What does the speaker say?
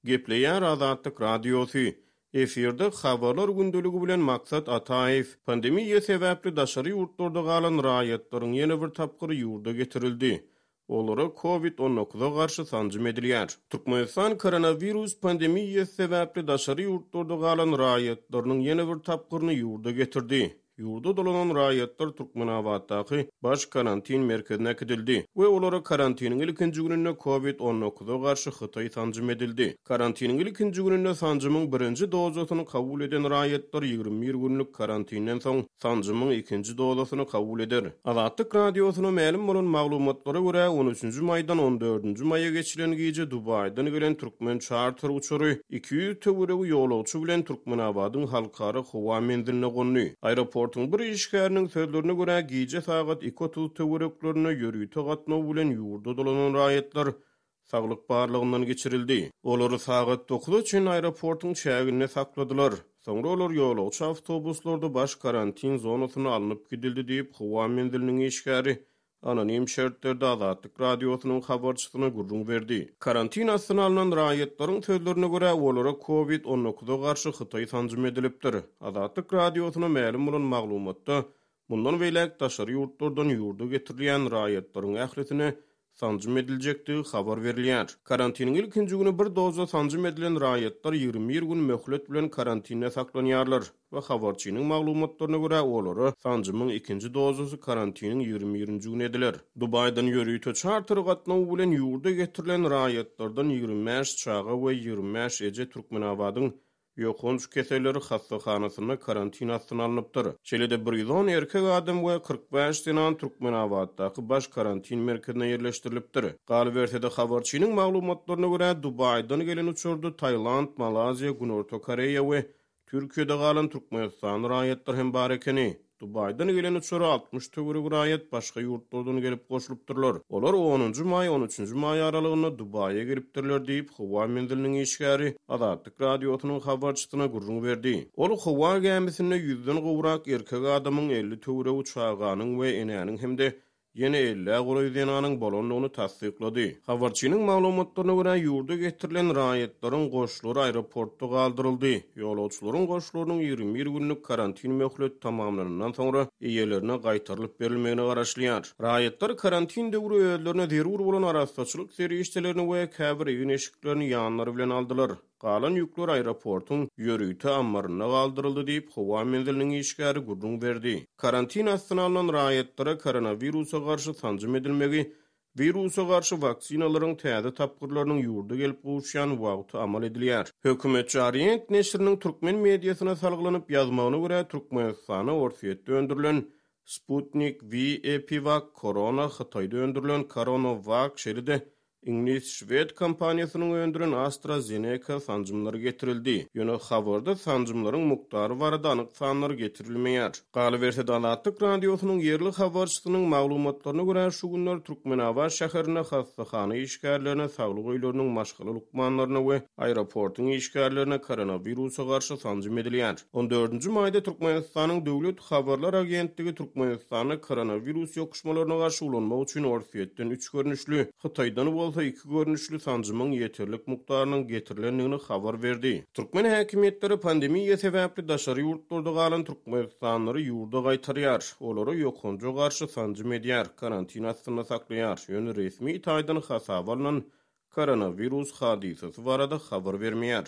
Gepleýär Azatlyk Radiosy, Efirde Habarlar gündeligi bilen Maksat Ataýew. Pandemiýa sebäpli daşary ýurtlarda galan raýatlaryň ýene bir tapgyry ýurda getirildi. Olara Covid on dokuza garşy sanjym edilýär. Türkmenistan koronawirus pandemiýasy sebäpli daşary ýurtlarda galan raýatlarynyň ýene bir tapgyryny ýurda getirdi. Ýurda dolanan raýatlar Türkmenabatdaky Baş karantin merkezine äkidildi we olara karantiniň ilkinji gününde Covid on dokuza garşy hytaý sanjym edildi. Karantiniň ilkinji gününde sanjymyň birinji dozasyny kabul eden raýatlar 21 günlük karantinden soň sanjymyň ikinji dozasyny kabul eder. Azatlyk Radiosyna mälim bolan maglumatlara görä, on üçünji maýdan on dördünji maýa geçilen gije Dubaýdan gelen türkmen çarter uçary 200 töweregi ýolagçy bilen Türkmenabadyň halkara howa menziline gondy. Aeroportuň bir işgäriniň sözlerine görä, gije sagat 2:30 töwereklerinde ýörite gatnaw bilen ýurda dolanan raýatlar saglyk barlagyndan geçirildi. Olary sagat dokuza çenli aeroportuň çäginde sakladylar. Soňra olar ýolagçy awtobuslarda baş karantin zonasyna alnyp gidildi diýip, howa menziliniň işgäri anonim şertlerde Azatlyk Radiosynyň habarçysyna gürrüň berdi. Karantin astyna alnan raýatlaryň sözlerine görä, olara Covid on dokuza garşy hytaý sanjym edilipdir. Azatlyk Radiosyna mälim bolan maglumatda, mundan beýläk daşary ýurtlardan ýurda getirilýän raýatlaryň ählisine sanjym ediljekdigi habar berilýär. Karantiniň ilkinji güni bir doza sanjym edilen raýatlar 21 gün möhlet bilen karantinde saklanýarlar we habarçynyň maglumatlaryna görä, olara sanjymyň ikinji dozasy karantiniň 21-nji güni ediler. Dubaýdan ýörite çarter gatnawy bilen ýurda getirilen raýatlardan 25 çaga we 25 eje Türkmenabadyň Ýokanç keselleri hassahanasynda karantin astyna alnypdyr. Şeýle-de 110 erkek adam we 45 zenan Türkmenabatdaky baş karantin merkezine ýerleşdirilipdir. Galyberse-de, habarçynyň maglumatlaryna görä, Dubaýdan gelen uçarda Tailand, Malaýziýa, Günorta Koreýa we Türkiýede galan türkmenistanly raýatlar hem bar ekeni. Dubaýdan gelen uçara 60 töweregi raýat başga ýurtlardan gelip goşulypdyrlar. Olar onunjy maý, on üçünji maý aralygynda Dubaýa gelipdirler diýip, howa menziliniň işgäri Azatlyk Radiosynyň habarçysyna gürrüň berdi. Ol howa gämisinde ýüzden gowrak erkek adamyň, 50 töweregi çaganyň we enäniň hem-de Ýene ellä golaý zenanyň bolandygyny tassyklady. Habarçynyň maglumatlaryna görä, ýurda getirilen raýatlaryň goşlary aeroportda galdyryldy. Ýolagçylaryň goşlarynyň 21 günlük karantin möhleti tamamlanandan soňra eýelerine gaýtarylyp berilmegine garaşylýar. Raýatlar karantin döwri özlerine zerur bolan arassaçylyk serişdelerini we käbir egin-eşiklerini ýanlary bilen aldylar. Galan ýükler aeroportuň ýörite ammarynda galdyryldy diýip, howa menziliniň işgäri gürrüň berdi. Karantin astyna alnan raýatlara koronawirusa garşy sanjym edilmegi wirusa garşy waksinalaryň täze tapgyrlarynyň ýurda gelip gowuşýan wagty amal edilýär. Hökümetçi Orient neşiriniň türkmen mediasyna salgylanyp ýazmagyna görä, Türkmenistana Orsýetde öndürilen Sputnik V, EpiVak, Korona, Hytaýda öndürilen CoronoVac, şeýle-de Iňlis-şwed kompaniýasynyň öndüren AstraZeneca sanjymlary getirildi. Ýöne habarda sanjymlaryň mukdary barada anyk sanlar getirilmeýär. Galyberse-de, Azatlyk Radiosynyň ýerli habarçysynyň maglumatlaryna görä, şu günler Türkmenabat şäherinde hassahana işgärlerine, saglyk öýleriniň maşgala lukmanlaryna we aeroportuň işgärlerine koronawirusa garşy sanjym edilýär. On dördünji maýda Türkmenistanyň Döwlet habarlar agentligi Türkmenistanda koronawirus ýokuşmalaryna garşy ulanmak üçin Orsýetden üç görnüşli, Hytaýdan bolsa iki görnüşli sanjymyň ýeterlik mukdarynyň getirilendigini habar berdi. Türkmen häkimiýetleri pandemiýa sebäpli daşary ýurtlarda galan türkmenistanlylary ýurda gaýtarýar, olara ýokanja garşy sanjym edýär, karantin astynda saklaýar, ýöne resmi taýdan hasaba alnan koronawirus hadysasy barada habar bermeýär.